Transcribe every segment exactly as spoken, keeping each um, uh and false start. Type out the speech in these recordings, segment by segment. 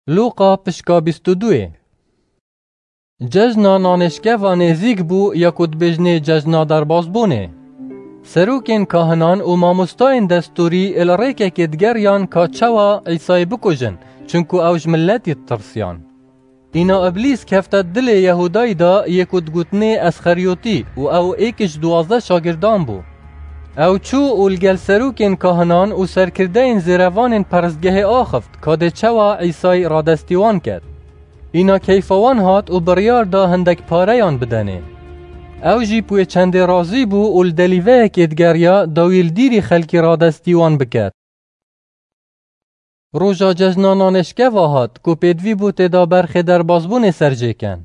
Lûqa pişka bîst û duyê. Cejna nanêşkeva nêzîk bû, ya ku dibêjinê cejna derbazbûnê. Serokên kahinan û mamostayên destûrî li rêkekê digeriyan ka çawa Îsayî bikujin, çunku ew ji miletî ditirsiyan. Îna Îblîs kefte dilê Yehûdayî de, yê ku digotinê Esxeriyotî, û ew êk ji duwazdeh şagirdan bû. Ew çû û li gel serokên kahinan û serkirdeyên zêrevanên peristgehê axift, ka dê çawa Îsayî radestî wan ket. Îna keyfa wan hat û biryar da hindek pareyan bidenê. Ew jî bi wê çendê razî bû û li delîveyekê digeriya, dawî li dîrî xelkî radestî wan biket. Roja cejna nanêşkeva hat, ku pêdivî bû tê de berxê derbazbûnê serjêken.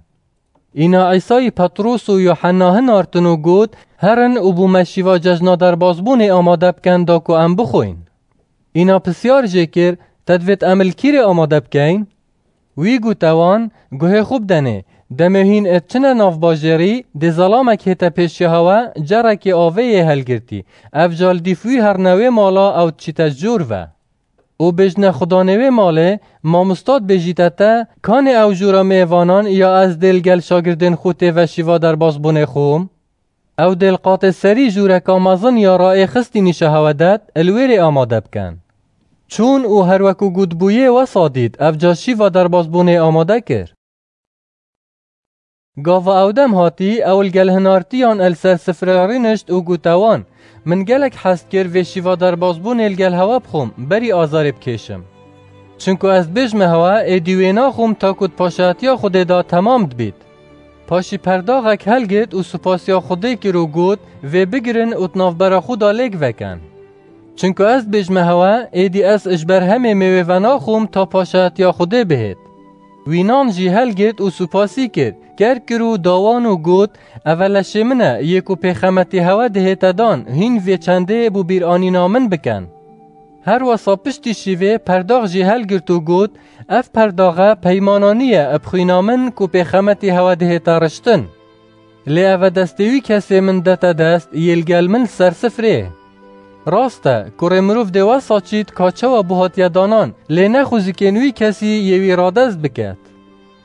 Îna Îsayî Petros û Yuhenna hinartin û got, Herin û bo me şîva cejna derbazbûnê amade bikin, da ku em bixwîn. Îna pisyar jê kir, Te divêt em li kîrê amade bikeyn? Wî gote wan, Guhê xwe bidenê, demê hîn ê diçine nav bajêrî, dê zelamek hête pêşiya hewe, cerekê avê yê helgirtî, ev ca li dîf wî herne wê mala, ew diçîte ji cor ve. Û bêjine xudanê wê malê, Mamosta dibêjîte te, kanê ew jora mêvanan ya ez dê li gel şagirdên xwe tê ve şîva derbazbûnê xwe? Ew dê li qatê serî jûreka mezin ya raêxistî nîşa hewe det, li wêrê amade bikin. Çûn û her wekû gotibûyê wesa dît, ev ca şîva derbazbûnê amade kir. Gava ew dem hatî, ew li gel hinartiyan li ser sifre rûnişt û gote wan, Min gelek hez dikir vê şîva derbazbûnê li gel hewe bixwim, berî azarê bikêşim. Çunku ez dibêjme hewe, êdî wê naxwim ta ku di paşayetiya Xwedê de temam dibît. Paşî perdaxek helgirt û supasiya Xwedê kir û got, Vê bigirin û di navbera xwe de lêk vekin. Çunku ez dibêjme hewe, êdî ez ji ber hemê mêwê venaxwim ta paşayetiya Xwedê bihêt. Wî nan jî helgirt û supasî kir, kerg kir û da wan û got, Ev e leşê min e, yê ku pêxemetî hewe dihête dan, hîn vê çendê bo bîranîna min bikin. Her wesa piştî şîvê perdax jî helgirt û got, Ev perdaxe peymananî ye bi xwîna min ku pêxemetî hewe dihête riştin. Lê ev e destê wî kesê min dete dest, yê li gel min li ser sifrê. Rast e, kurê mirov dê wesa çît ka çawa bû hatiye danan, lê ne xwezikên wî kesî yê wî radest biket.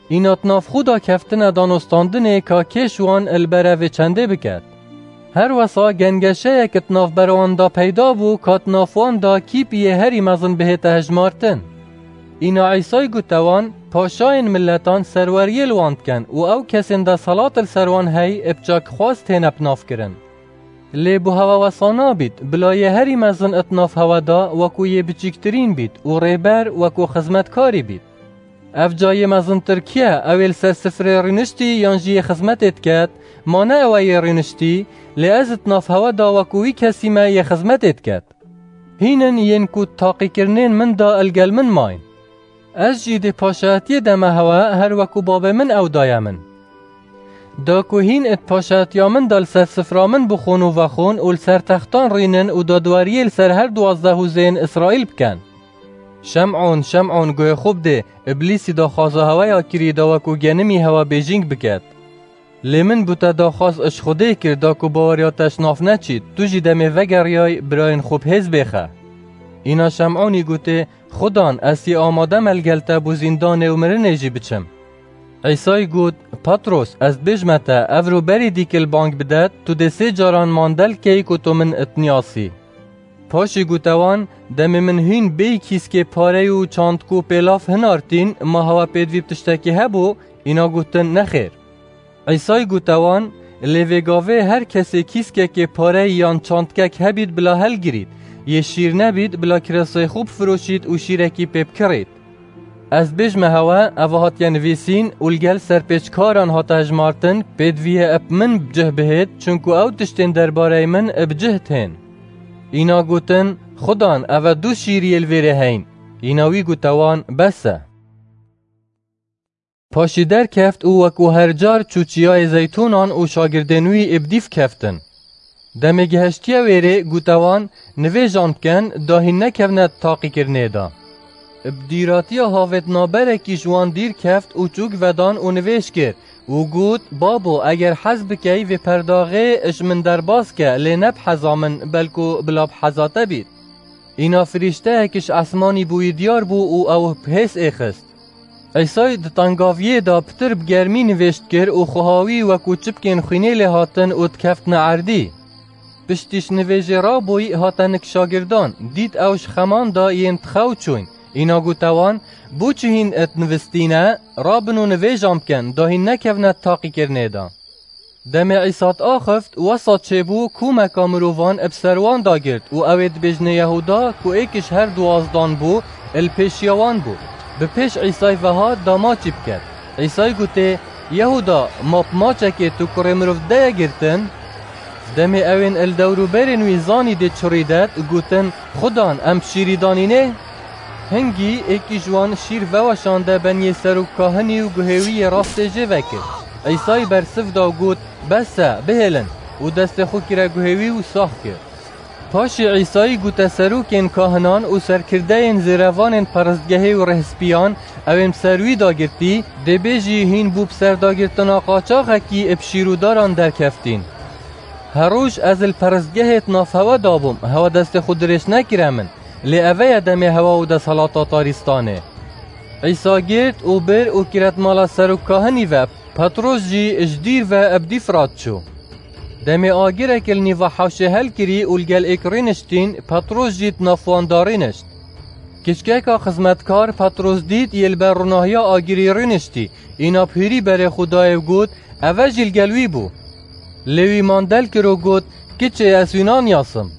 Îna di nav xwe de keftine danostandinê ka kê ji wan li ber evê çendê biket. Her wesa gengeşeyek di navbera wan de peyda bû ka di nav wan de kîpiyê herî mezin bihête hejmartin. Îna Îsay gote wan, Paşayên miletan serweriyê li wan dikin û ew kesên desthilat li ser wan hey bi çakxwaz têne binavkirin. Lê bo hewe wesa nabît, bila yê herî mezin di nav hewe de wekû yê biçîktirîn bît û rêber wekû xizmetkarî bît. Ev ca yê mezintir kî ye, ew ê li ser sifrê rûniştî yan jî yê xizmetê diket? Ma ne ew e yê rûniştî, lê ez di nav hewe de wekû wî kesî me yê xizmetê diket. Hîn in yên ku di taqîkirinên min de li gel min mayîn. Ez jî dê paşayetiyê deme hewe, her wekû babê min ew daye min. Da ku hîn di paşayetiya min de li ser sifra min bixwin û vexwin û li ser textan rînin û dadweriyê li ser her duwazdeh hûzên Îsraîl bikin. Şem'on, Şem'on, guhê xwe bidê, Îblîsî daxwaza hewe ya kirî da wekû genimî hewe bêjîng biket. Lê min bo te daxwaz ji Xwedê kir, da ku baweriya te ji nav neçît, tu jî demê vegeriyay birayên xwe bi hêz bêxe. Îna Şem'onî gotê, Xudan, ez yê amade me li gel te bo zîndanê û mirinê jî biçim. Îsay got, Petros, ez dibêjme te, evro berî dîkil bang bidet, tu dê sê caran mandel key ku tu min itniyasî. Paşî gote wan, Demê min hîn bêyî kîskê parey û çandkû pêlav hinartîn, ma hewa pêdivî bi tiştekî hebû? Îna gotin, Nexêr. Îsay gote wan, Lê vê gavê her kesê kîskekê parey yan çandkek hebît bila helgirît, yê şîr nebît bila kiresê xwe bifiroşît û şîrekî pê bikirît. Ez dibêjme hewe, eva hatiye nivîsîn û li gel serpêçkaran hate hejmartin, pêdiviyê eb min bi cih bihêt, çunku ew tiştên derbarey min bi cih tên. Îna gotin, Xudan, ev e du şîriyê li vêrê heyn. Îna wî gote wan, Bes e. Paşî derkeft û wekû her car çû çiyayê Zeytûnan û şagirdên wî ê bi dîf keftin. Demê gihiştiye wêrê, gote wan, Nivêjan bikin, da hîn nekevne di taqîkirinê de. Bi dîratiya havêt naberekî ji wan dîr keft û çûk vedan û nivêj kir û got, Babo, eger hez bikey, vê perdaxê ji min derbas ke, lê ne bi heza min, belku bila bi heza te bît. Îna firîşteyek ji esmanî bo wî diyar bû û ew bi hêz êxist. Îsay di tengaviyê de pitir bi germî nivêj dikir û xwe hawî wekû çipkên xwînê lê hatin û dikeftina erdî. Piştî ji nivêjê rabûyî hate nik şagirdan, dît ew ji xeman de yên dixew çûyn. Îna gote wan, Bo çi hîn dinivistîne? Rabin û nivêjan bikin, da hîn nekevine taqîkirinê de. Demê Îsa diaxift, wesa çêbû, kûmeka mirovan bi ser wan dagirt û ew ê dibêjine Yehuda, ku êk ji her duwazdan bû, li pêşiya wan bû. Bi pêş Îsay ve hat da maçî biket. Îsay gotê, Yehuda, ma bi maçekê tu kurê mirov dideye girtin? Demê ewên li dewrûberên wî zanî dê çi rîdet, gotin, Xudan, em bi şîrî danînê? Hingî êkî ji wan şîr veweşande beniyê serokkahinî û guhê wî yê rastê jê vekir. Îsay bersiv da û got, Bes e, bihêlin! Û destê xwe kire guhê wî û sax kir. Paşê Îsayî gote serokên kahinan û serkirdeyên zêrevanên perestgehê û rêhspiyan, ewên bi ser wî dagirtî, dê bêjî, Hîn bû bi serdagirtina qaçaxekî bi şîr û daran derkeftîn. Her roj ez li perestgehê di nav hewe de bûm, hewe destê xwe dirêj nekire min, lê eve ye demê hewa û desthilata tarîstanê. Îsa girt û bir û kire di mala serokkahinî ve, Petros jî ji dîr ve bi dîf re diçû. Demê agirek li nîva hewşê helkirî û li gel êk rûniştîn, Petros jî di nav wan de rûnişt. Kiçkeka xizmetkar Petros dît yê li ber rûnahiya agirî rûniştî, îna bi hûrî berê xwe dayê û got, Eve jî li gel wî bû. Lê wî mandel kir û got, Kiçê, ez wî naniyasim.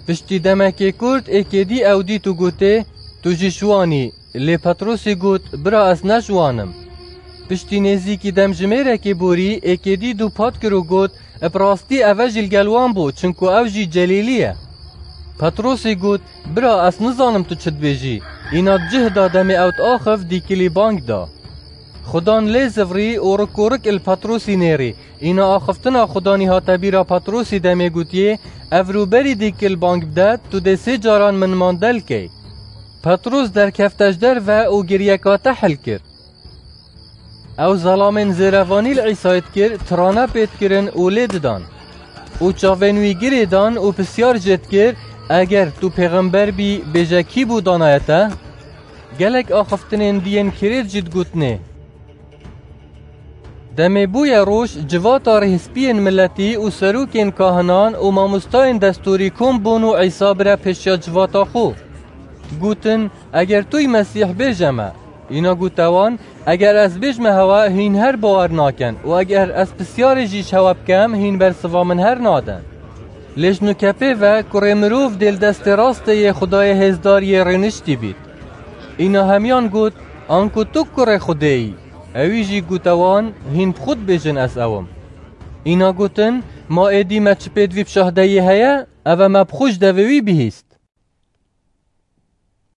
Piştî demekê kurt êkê dî ew dît û gotê, Tu jî ji wan î. Lê Petrosî got, Bira, ez ne ji wan im. Piştî nêzîkî demjimêrekê borî, êkê dî dûpat kir û got, Bi rastî eve jî li gel wan bû, çinku ew jî Celîlî ye. Petrosî got, Bira, ez nizanim tu çi dibêjî. Îna di cih de demê ew diaxift dîkilî bang da. Xudan lê zivrî û rik û rik li Petrosî nêrî. Îna axiftina Xudanî hate bîra Petrosî demê gotiyê, Ev rûberî dîkil bang bide, tu dê sê caran min mandel key. Petros derkefte ji derve û giriyeka tehil kir. Ew zelamên zêrevanî li Îsayê dikir, tirane pê dikirin û lê didan. Û çavên wî girê dan û pisyar jê dikir, Eger tu pêxember bî, bêje kî bû danaye te? Gelek axiftinên diyên kirêt jî digotinê. Demê bûye roj, civata rêhspiyên miletî û serokên kahinan û mamostayên destûrî kom bûn û Îsa bire pêşiya civata xwe. Gotin, Eger tu yî Mesîh, bêje me. Îna gote wan, Eger ez bêjme hewe, hîn her bawer nakin û eger ez pisyarê jî ji hewe bikem, hîn bersiva min her nadin. Lê ji nûke pê ve kurê mirov dê li destê rastê yê Xwedayê hêzdar yê rêniştî bît. Îna hemiyan got, Anku tu kurê Xwedê yî? Ewî jî gote wan, Hîn bi xwe dibêjin ez ew im. Îna gotin, Ma êdî me çi pêdivî bi şahdeyî heye? Ev e me bi xwe ji devê wî bihîst.